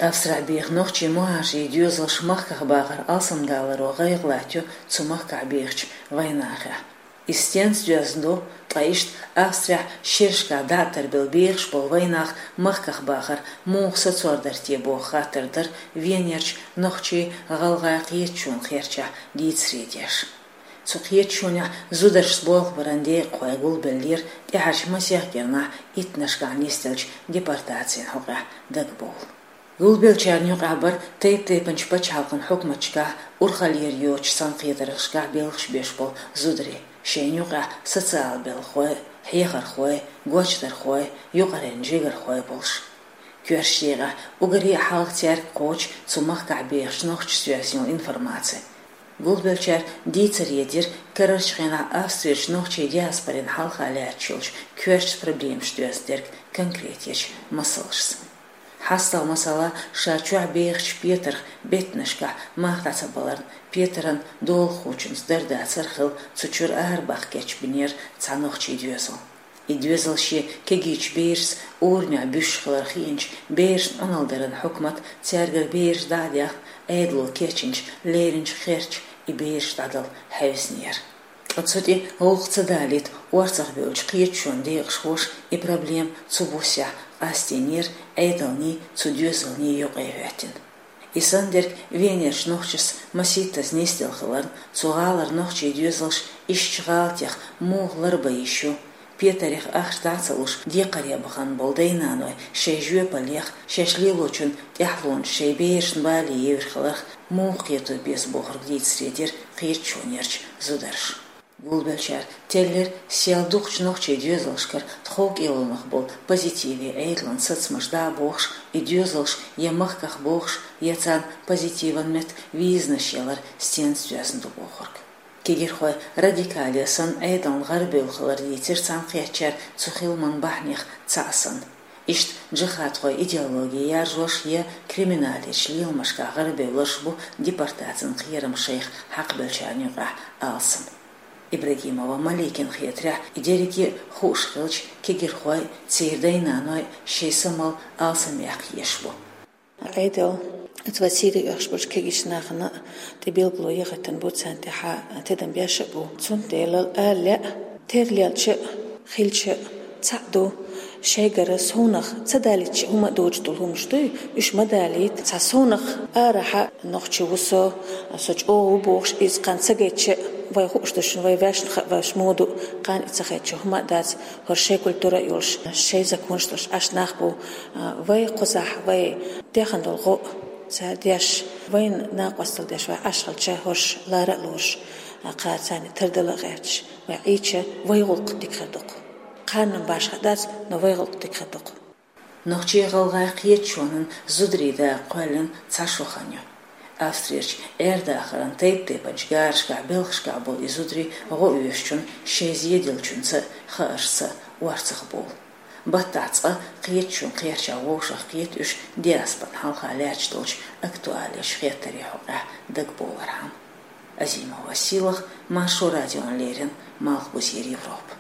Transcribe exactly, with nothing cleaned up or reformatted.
Австрехь беха нохчий мухӀажарийн доьзалш махках бахар алсамдаларо гӀайгӀа латтайо цу махкахь бехачу вайнахехь. Иза стенца доьзна ду, ткъа иштта Австрехь шерашкахь дӀа а тарбелла бехаш болу вайнах махках бахар муха сацор дара те боху хаттар дара Венерчу нохчийн-гӀалгӀайн кхеташонан кхерчахь дийцаре деш. Цу кхеташонехь зударшца болх баран декъахой гулбеллера тӀаьхьарчу масех кӀирнахь иттаннашкахь нисделлачу депортацин хьокъехь дагабовла. Гулбеллачарна юкъахь бара тайп-тайпанчу пачхьалкхан хьукматашкахь, урхаллера йоцучу цхьаьнакхетаршкахь белхаш беш болу зударий, шайна юкъахь социал белхахой, хьехархой, гочдархой, юкъаренна жигархой болуш. Коьртачу декъехь уггаре а хьалха цаьрга кхочу цу махкахь бехачу нохчашца йоьзна йолу информаци. Гулбеллачара дийцаре дира карарчу хенахь Австрерчу нохчийн диаспорин хьалха лаьтташ йолчу коьртачу проблемашца доьзна дерг конкретечу масалшца. ХьастагӀа масала ша чохь бехачу Петарх беттанашкахь мах дӀа ца баларна, Петаран долахочуьнца дар-дацар хилла цу чуьра арабаха кечбинера цхьа нохчийн доьзал. И доьзал шен кегийчу берашца урамехь буьсуш хилар хиъначу берашна Ӏуналла даран хьукмат цаьргара бераш дӀа а даьхна, Ӏедало кечйинчу леринчу кхерчахь и бераш дӀадала хьаьвзинера. Ткъа цу тӀе гӀуллакх ца далийта, орцахбевллачу кхеташонан декъашхоша и проблема цу буьсехь къастийнера Ӏедалний, цу доьзалний юкъа хӀоьттина. И санна дерг Венерчу нохчашца масийттаза нисделла хиларна, цу гӀалара нохчийн доьзалш иштачу гӀалатех муха ларбан йиш ю, Петарех ахча дӀа а ца луш, декхаре бахана болу дай-наной шайн жоьпаллех, шаьш лелочун тӀаьхьалонаш шайн берашна бале евр хиларх муха кхето беза бохург дийцаре дира кхеташонерчу зударша. Гулбеллачара теллира, сел дукхачу нохчийн доьзалшкара тхов кӀелонах болу позитиве Ӏедалан сацамаш дӀа а бохуш, и доьзалш я махках бохуш, я царна позитиван метта визанаш ялар стенца доьзна ду бохург. Кегирхой радикале санна Ӏедална гӀарабевлла хилар дийцира цхьаьнакхеттачара цу хиламан бахьанех цхьаъ санна. Иштта джихадхойн идеологи яржош я криминалечу леламашкахь гӀарабевлларш бу депортацин кхерам шайх хьакхабеллачарна юкъахь алсам. Ибрагимова Маликина хетарехь, и дерриге а хууш хилча, кегирхой а, церан дай-наной а шайн самал алсамъяккха езаш бу. Ӏедал, оцу вайн Сири оьхуш болчу кегийчу нахана тӀе билгало яхийтина бу, царна тӀехь тидам беш а бу. Цундела ала лаьа, тера лелча а, хилча а цхьаъ ду. Шайгара совнах ца далийтича хӀума а доцуш долу хӀуманаш дуй, уьш ма далийта. Цхьа совнах арахьа нохчи ву со, со чӀогӀа ву бохуш, иза кхана ца гайтича а, вай хууш ду шуна, вай ваьшна хаьа, ваьш муха ду, кхана и ца хайтича хӀума а дац, хӀара шайн культура а йолуш, шайн законаш долуш Ӏаш нах бу. Вай кхузахь, вай дехна долу гӀо а цара деш, вайна накъосталла деш вай Ӏаш хилча, хӀорш лара а лоруш, кхара царна тардала а гӀерташ, вай Ӏийча, вай гӀуллакх дика хир ду-кх. Кхарнан башха дац, но вай гӀуллакх дика хир ду-кх. Нохчийн-гӀалгӀайн кхеташонан зударийн дакъа кхоьллина цхьа шо хан ю. Австрерчу Ӏер-дахаран тайп-тайпанчу гарашкахь белхашкахь болу и зударий гӀо оьшучунна шайн зеделлачунца а, хааршца а орцахбовла. Баттахь цкъа кхеташонан кхерчахь вовшахкхета уьш диаспоран хьалха лаьтташ долчу актуалечу хеттарийн хьокъехь дагабовлархьама. Азимова Сийлаха, Маршо радиона леррина, Малхбузера Европа.